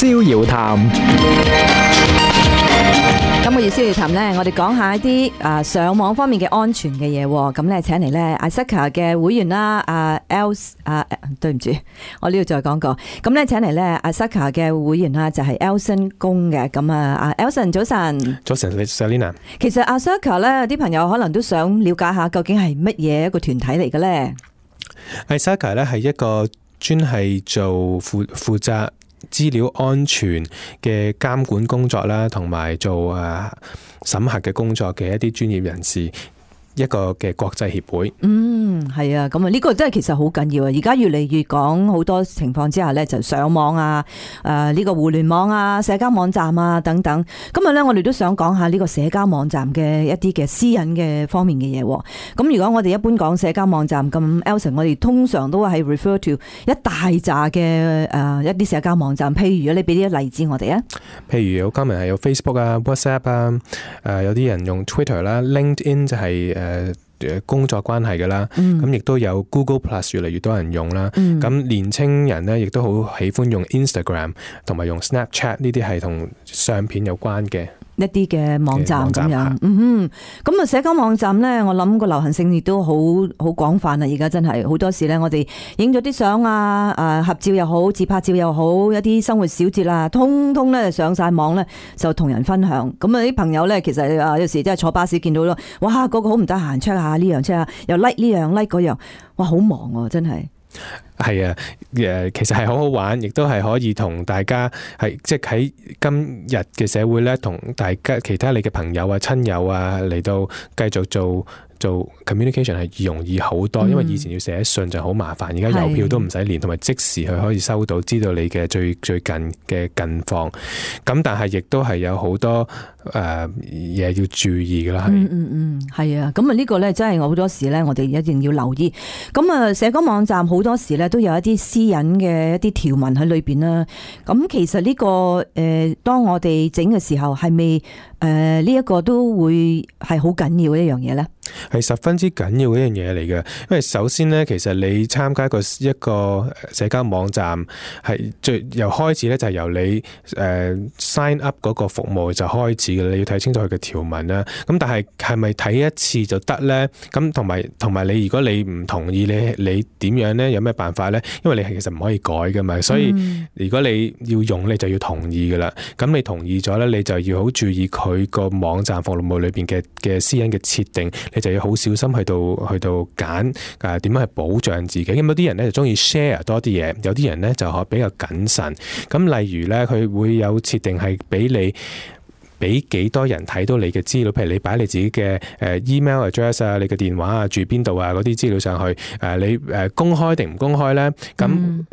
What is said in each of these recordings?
逍遙談。今個月逍遙談呢，我哋講下一啲上網方面嘅安全嘅嘢。咁咧，請嚟咧 ISACA 嘅會員啦，對唔住，我呢度再講過。咁咧，請嚟咧 ISACA 嘅會員啦，就係 Elson 公嘅。咁啊，Elson 早晨。早晨 ，Selina。其實 ISACA 咧，啲朋友可能都想了解下，究竟係乜嘢一個團體嚟嘅咧？ISACA 咧係一個專係做負責資料安全嘅監管工作啦，同埋做審核嘅工作嘅一啲專業人士，一個嘅國際協會。係啊，咁啊呢個真係其實好緊要啊！而家越嚟越講好多情況之下咧，就上網啊，呢個互聯網啊、社交網站啊等等。今日咧，我哋都想講下呢個社交網站嘅一啲嘅私隱嘅方面嘅嘢。咁如果我哋一般講社交網站，咁 Elson 我哋通常都係 refer to 一大扎嘅一啲社交網站。譬如你俾啲例子我哋啊。譬如有今日係有 Facebook 啊、WhatsApp 啊，有啲人用 Twitter 啦、LinkedIn 就係工作關係嘅啦，咁亦都有 Google Plus 越嚟越多人用啦。咁年青人咧，亦都好喜歡用 Instagram 同埋用 Snapchat 呢啲係同相片有關嘅一啲嘅網站咁樣。咁啊社交網站咧，我諗個流行性亦都好廣泛啊！而家真係好多時咧，我哋影咗啲相啊，合照又好，自拍照又好，一啲生活小節啊，通通咧上晒網咧，就同人分享。咁啊啲朋友咧，其實有時真係坐巴士見到咯，哇！個好唔得閒 check 下呢樣 check 下，又 like 呢樣 like 嗰樣，哇！好忙喎，真係。係啊，其實係好好玩，亦都係可以同大家係即係喺今日嘅社會咧，同大家其他你嘅朋友啊、親友啊嚟到繼續做 communication 係容易好多，因為以前要寫信就好麻煩，而家郵票都唔使連，同埋即時佢可以收到，知道你嘅最近嘅近況。咁但係亦都係有好多嘢要注意㗎啦，係啊，咁啊呢個咧真係我好多時咧，我哋一定要留意。咁啊社交網站好多時咧都有一啲私隱嘅一啲條文喺裏邊啦。咁其實呢個當我哋整嘅時候，係咪呢一個都會係好緊要嘅一樣嘢咧？係十分之緊要嘅一樣嘢嚟嘅，因為首先咧，其實你參加一個社交網站係由開始咧，就係由你sign up 嗰個服務就開始嘅，你要睇清楚佢嘅條文啦。咁但係咪睇一次就得咧？咁同埋你如果你唔同意，你點樣咧？有咩辦法咧？因為你其實唔可以改噶嘛，所以如果你要用，你就要同意噶啦。咁你同意咗咧，你就要好注意佢個網站服務裏邊嘅私隱嘅設定。你就要好小心去到揀點樣去保障自己。咁有啲人咧就中意 share 多啲嘢，有啲人咧就比較謹慎。咁例如咧，佢會有設定係俾幾多人睇到你嘅資料，譬如你擺你自己嘅email address 啊、你嘅電話啊、住邊度啊嗰啲資料上去，你公開定唔公開咧？咁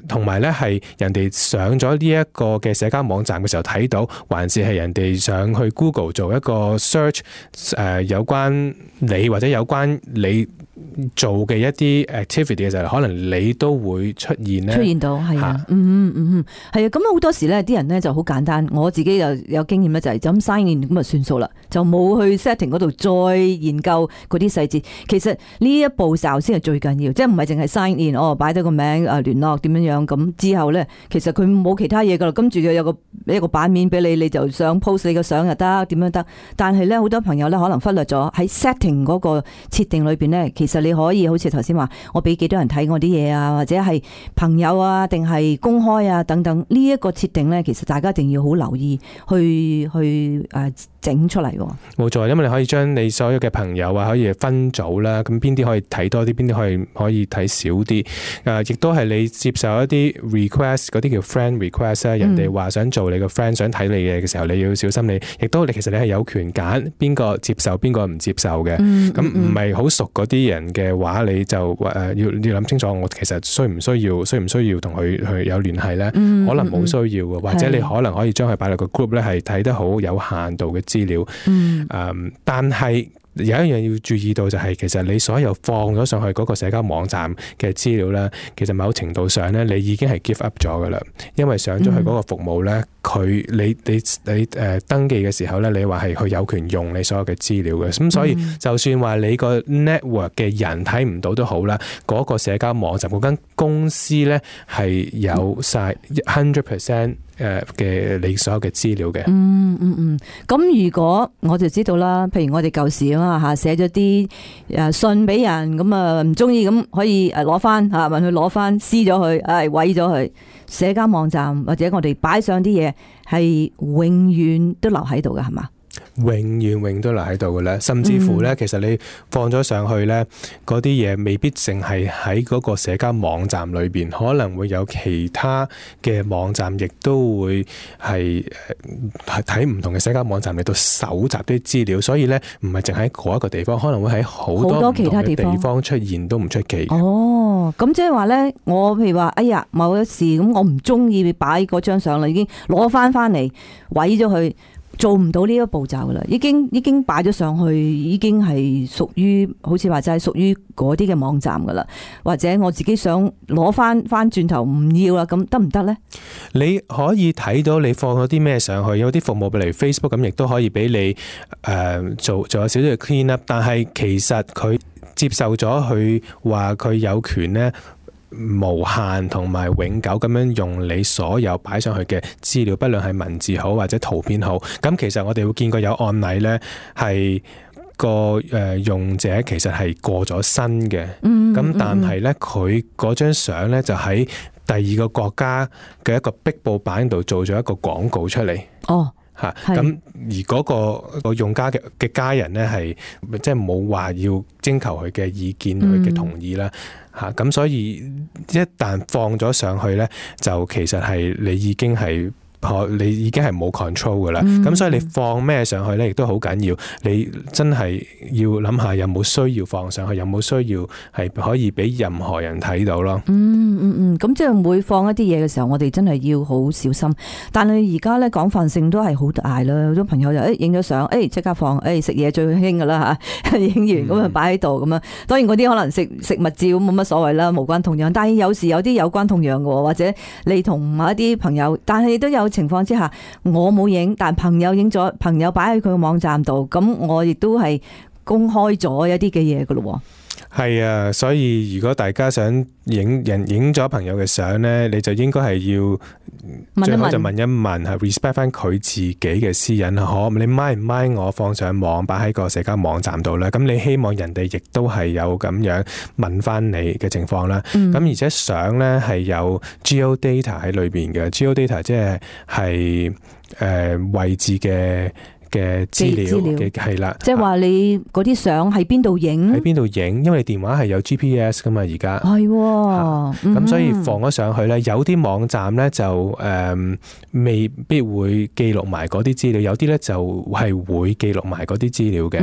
同埋咧係人哋上咗呢一個嘅社交網站嘅時候睇到，還是係人哋上去 Google 做一個 search 有關你或者有關你做嘅一啲 activity 嘅時候，可能你都會出現到係啊，係啊，咁好多時咧，啲人咧就好簡單，我自己又有經驗咧，就係咁 sign in 咁啊算數啦，就冇去 setting 嗰度再研究嗰啲細節。其實呢一步驟先係最緊要，即係唔係淨係 sign in，擺低個名聯絡點樣咁之後咧，其實佢冇其他嘢噶啦，跟住佢有一個版面俾你，你就想 post 你個相又得，點樣得。但係咧好多朋友咧可能忽略咗喺 setting 嗰個設定裏邊咧，其實你可以好似頭先話，我俾幾多人睇我啲嘢啊，或者係朋友啊，定係公開啊等等，呢一個設定咧，其實大家一定要好留意去整出嚟。冇錯，因為你可以將你所有嘅朋友啊，可以分組啦，咁邊啲可以睇多啲，邊啲可以睇少啲。亦都係你接受一啲 request， 嗰啲叫 friend request 啊，人哋話想做你個 friend， 想睇你嘅時候，你要小心你。亦都其實你係有權揀邊個接受，邊個唔接受嘅。咁唔係好熟嗰啲人嘅話，你就要諗清楚，我其實需唔需要同佢去有聯繫咧？可能冇需要嘅，或者你可能可以將佢擺落個 group 咧，係睇得好有限度嘅資料。但係有一樣要注意到就係，其實你所有放咗上去嗰個社交網站嘅資料咧，其實某程度上咧，你已經係 give up 咗噶啦，因為上咗去嗰個服務咧，你登記嘅時候咧，你話係佢有權用你所有嘅資料嘅，咁所以就算話你個 network 嘅人睇唔到都好啦，嗰個社交網站嗰間公司咧係有晒 100% 嘅你所有嘅資料嘅。咁如果我就知道啦，譬如我哋舊時啊嘛嚇，寫咗啲信俾人，咁啊唔中意咁可以攞翻嚇，問佢攞翻，撕咗佢，毀咗佢。社交網站或者我哋擺上啲嘢係永遠都留喺度嘅，係嘛？永遠都留喺度嘅咧，甚至乎咧，其實你放咗上去咧，嗰啲嘢未必淨係喺嗰個社交網站裏邊，可能會有其他嘅網站，亦都會係睇唔同嘅社交網站嚟到搜集啲資料，所以咧唔係淨喺嗰一個地方，可能會喺好多其他地方出現都唔出奇。哦，咁即係話咧，我譬如話，哎呀，某一事咁，我唔中意擺嗰張相啦，已經攞翻嚟毀咗佢。做唔到呢一個步驟噶啦，已經擺咗上去，已經係屬於好似話就係屬於嗰啲嘅網站噶啦，或者我自己想攞翻轉頭唔要啦，咁得唔得呢？你可以睇到你放咗啲咩上去，有啲服務譬如 Facebook 咁，亦都可以俾你做有少少嘅 clean up， 但係其實佢接受咗佢話佢有權呢。無限同埋永久咁樣用你所有擺上去嘅資料，不論係文字好或者圖片好。咁其實我哋會見過有案例呢，係個用者其實係過咗身嘅。咁但係呢，佢嗰張相呢，就喺第二個國家嘅一個壁報版度做咗一個廣告出嚟。哦。咁而嗰個用家嘅家人呢，係即係冇話要徵求佢嘅意見，佢嘅同意啦。咁所以一旦放咗上去呢，就其實係你已經係冇 control 噶啦。咁所以你放咩上去呢，亦都好緊要。你真係要諗下有冇需要放上去，有冇需要係可以俾任何人睇到咯。咁即係每放一啲嘢嘅時候，我哋真係要好小心。但係而家咧廣泛性都係好大啦，好多朋友就影咗相，即刻放，食嘢最興噶啦嚇，影完咁啊擺喺度咁啊。當然嗰啲可能食物照冇乜所謂啦，無關痛癢。但係有時有啲有關痛癢嘅，或者你同某一啲朋友，但係都有情況之下，我冇影，但朋友影咗，朋友擺喺佢個網站度，咁我亦都係公開咗一啲嘅嘢噶咯。係啊，所以如果大家想影咗朋友嘅相呢，你就應該係要最好就問一問，係 respect 翻佢自己嘅私隱，你 mind 唔 mind 我放上網擺喺個社交網站度咧？咁你希望人哋亦都係有咁樣問翻你嘅情況啦。咁而且相呢係有 geodata 喺裏邊嘅，geodata 即係位置嘅資料嘅係啦，即係話你嗰啲相喺邊度影？喺邊度影？因為你電話係有 GPS 噶嘛，而家係咁，所以放咗上去咧，有啲網站咧就未必會記錄埋嗰啲資料，有啲咧就係會記錄埋嗰啲資料嘅。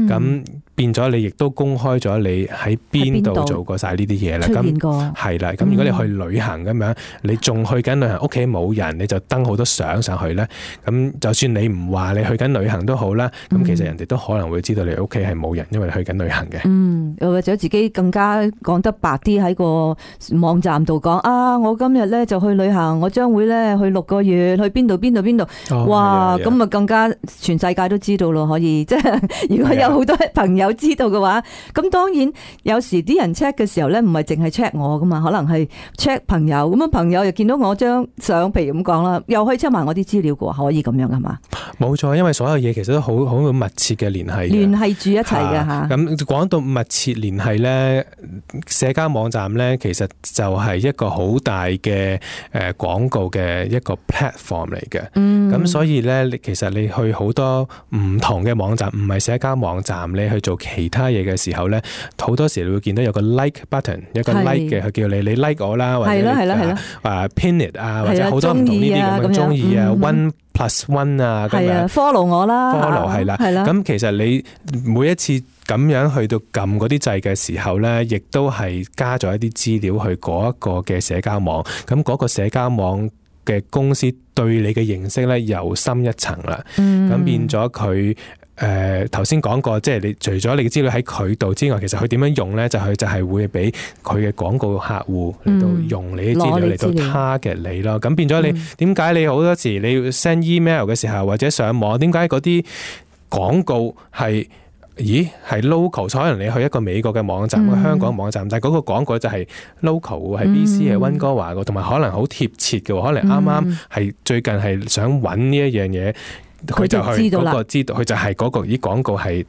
咁變咗你亦都公開咗你喺邊度做過晒呢啲嘢啦。咁係啦，咁如果你去旅行咁樣，你仲去緊旅行，屋企冇人，你就登好多相上去咧。咁就算你唔話你去緊旅行都好啦，咁其實人哋都可能會知道你屋企係冇人，因為你去緊旅行嘅。又或者自己更加講得白啲喺個網站度講我今日咧就去旅行，我將會咧去6個月，去邊度。哇，咁啊更加全世界都知道咯，可以即係如果有好多朋友知道嘅話，咁當然有時啲人 check 嘅時候咧，唔係淨係 check 我噶嘛，可能係 check 朋友，咁朋友又見到我張相，譬如咁講啦，又可以 check 埋我啲資料嘅喎，可以咁樣係嘛？冇錯，因為所有嘢其實都好密切嘅聯繫住一齊嘅嚇。咁講到密切聯繫咧，社交網站咧其實就係一個好大嘅廣告嘅一個 platform 嚟嘅。咁所以咧，其實你去好多唔同嘅網站，唔係社交網站，你去做其他嘢嘅時候咧，好多時你會見到有個 like button， 有個 like 嘅，佢叫你 like 我啦，或者pin it 或者好多唔同呢啲咁嘅中意1+1咁樣 follow 我啦 follow 係啦。咁其實你每一次咁樣去到撳嗰啲掣嘅時候咧，亦都係加咗一啲資料去嗰一個嘅社交網，咁嗰個社交網嘅公司對你嘅認識咧又深一層啦。咁變咗佢頭先講過，即係你除咗你嘅資料喺佢度之外，其實佢點樣用咧？佢就係會俾佢嘅廣告客戶嚟到用你嘅資料嚟到 target 你咯。咁變咗你點解你好多時你要 send email 嘅時候或者上網，點解嗰啲廣告係係 local？ 可能你去一個美國嘅網站、香港網站，但係嗰個廣告就係 local 係 BC 係溫哥華嘅，同埋可能好貼切嘅，可能啱啱係最近係想揾呢一樣嘢。佢就去嗰個知道，佢就係嗰個啲廣告係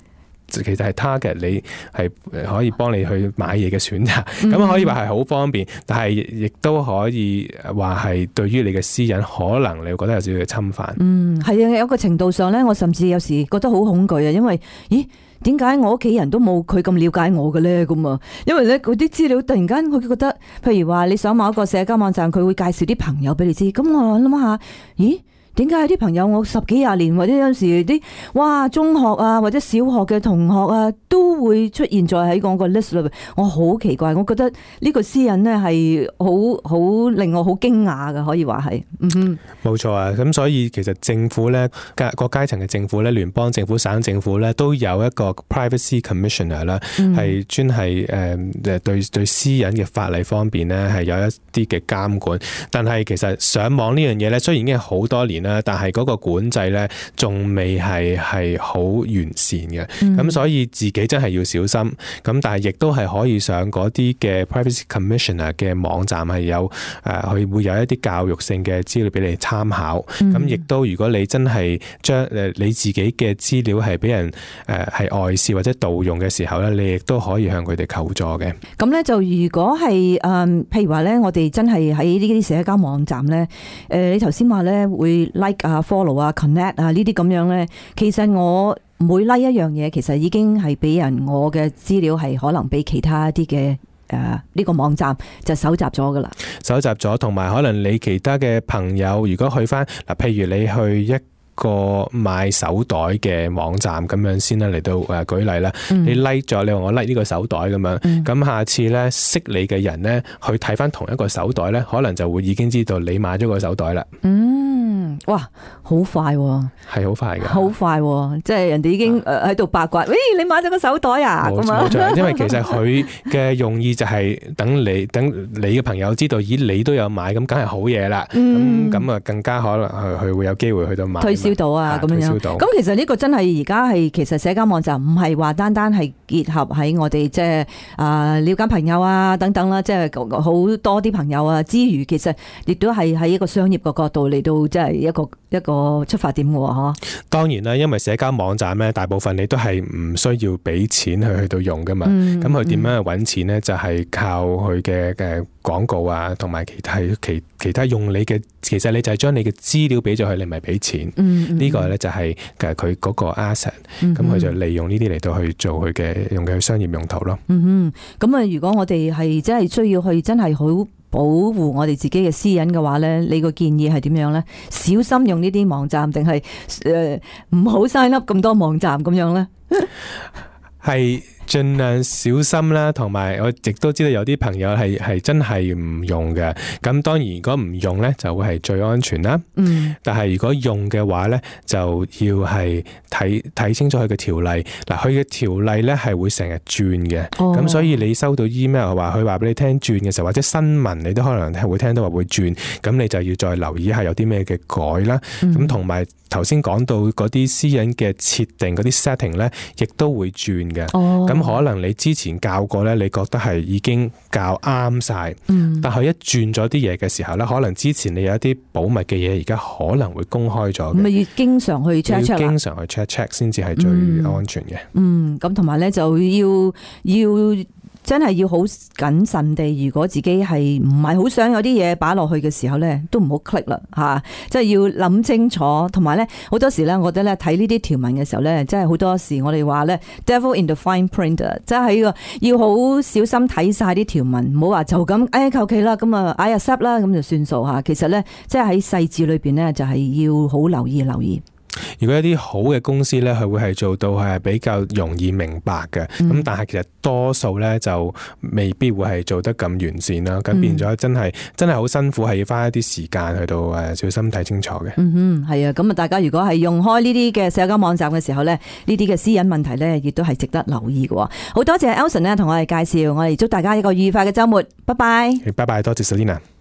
其實係 target 你係可以幫你去買嘢嘅選擇，咁可以話係好方便，但係亦都可以話係對於你嘅私隱可能你會覺得有少少嘅侵犯。係啊，有個程度上咧，我甚至有時覺得好恐懼啊，因為點解我屋企人都冇佢咁了解我嘅咧？咁啊，因為咧嗰啲資料突然間佢覺得，譬如話你上某一個社交網站，佢會介紹啲朋友俾你知，咁我諗下，點解有啲朋友我10幾20年，或者有時啲中學啊或者小學嘅同學啊都會出現在喺我個 list 裏邊，我好奇怪，我覺得呢個私隱咧係好令我好驚訝嘅，可以話係。冇錯啊，咁所以其實政府咧各階層嘅政府咧，聯邦政府、省政府咧都有一個 privacy commissioner 啦，係專係對私隱嘅法例方面咧係有一啲嘅監管。但係其實上網呢樣嘢咧，雖然已經係好多年，但係嗰個管制咧，仲未係好完善嘅。咁所以自己真係要小心。咁但係亦都係可以上嗰啲嘅 Privacy Commissioner 嘅網站係有佢會有一啲教育性嘅資料俾你參考。咁亦都如果你真係將你自己嘅資料係俾人係外泄或者盜用嘅時候咧，你亦都可以向佢哋求助嘅。咁咧就如果係譬如話咧，我哋真係喺呢啲社交網站咧，你頭先話咧會 like 啊、follow 啊、connect 啊呢啲咁樣咧，其實我每 like 一樣嘢，其實已經係俾人我嘅資料係可能俾其他啲嘅呢個網站就搜集咗噶啦，搜集咗，同埋可能你其他嘅朋友，如果去翻嗱，譬如你去一個買手袋嘅網站咁樣先啦，嚟到舉例啦，你 like 咗，你話我 like 呢個手袋咁樣，咁下次咧識你嘅人咧去睇翻同一個手袋咧，可能就會已經知道你買咗個手袋啦。哇，好快喎！係好快嘅，好快喎！即係人哋已經喺度八卦，喂，你買咗個手袋啊？冇錯，因為其實佢嘅用意就係等你嘅朋友知道，咦，你都有買，咁梗係好嘢啦。咁啊，更加可能佢會有機會去到買，推銷到啊咁樣。咁其實呢個真係而家係其實社交網站唔係話單單係結合喺我哋即係了解朋友啊等等啦，即係好多啲朋友啊之餘，其實亦都係喺一個商業嘅角度嚟到即係一個出發點嘅喎。當然啦，因為社交網站咧，大部分你都係唔需要俾錢去到用噶嘛。咁佢點樣去揾錢咧？就係靠佢嘅廣告啊，同埋其他用你嘅，其實你就係將你嘅資料俾咗佢，你咪俾錢。呢個咧就係佢嗰個 asset。咁佢就利用呢啲嚟到去做佢嘅用嘅商業用途咯。咁啊，如果我哋係真係需要去真係好保護我哋自己嘅私隱嘅話咧，你個建議係點樣咧？小心用呢啲網站，定係唔好 sign up 咁多網站咁樣咧？係盡量小心啦，同埋我亦都知道有啲朋友係真係唔用嘅。咁當然如果唔用咧，就會係最安全啦。但係如果用嘅話咧，就要係睇清楚佢嘅條例。嗱，佢嘅條例咧係會成日轉嘅。咁所以你收到 email 話佢話俾你聽轉嘅時候，或者新聞你都可能係會聽到話會轉，咁你就要再留意下有啲咩嘅改啦。咁同埋頭先講到嗰啲私隱嘅設定嗰啲 setting 咧，亦都會轉嘅。咁可能你之前教過咧，你覺得係已經教啱晒，但係一轉咗啲嘢嘅時候咧，可能之前你有一啲保密嘅嘢，而家可能會公開咗。咁要經常去 check 啦，經常去 check 先至係最安全嘅。咁同埋咧就要真係要好謹慎地，如果自己係唔係好想有啲嘢擺落去嘅時候咧，都唔好 click 啦嚇，即係要諗清楚。同埋咧，好多時咧，我覺得咧睇呢啲條文嘅時候咧，即係好多時我哋話咧 devil in the fine print， 即係要好小心睇晒啲條文，唔好話就咁求其啦，咁啊 I accept 啦，咁就算數嚇。其實咧，即係喺細節裏邊咧，就係要好留意。如果一啲好嘅公司咧，佢會係做到係比較容易明白嘅，咁但係其實多數咧就未必會係做得咁完善啦，咁變咗真係好辛苦，係要花一啲時間去到小心睇清楚嘅。係啊，咁啊，大家如果係用開呢啲嘅社交網站嘅時候咧，呢啲嘅私隱問題咧，亦都係值得留意嘅。好多謝 Elson 咧同我哋介紹，我哋祝大家一個愉快嘅週末，拜拜。拜拜，多謝 Selina。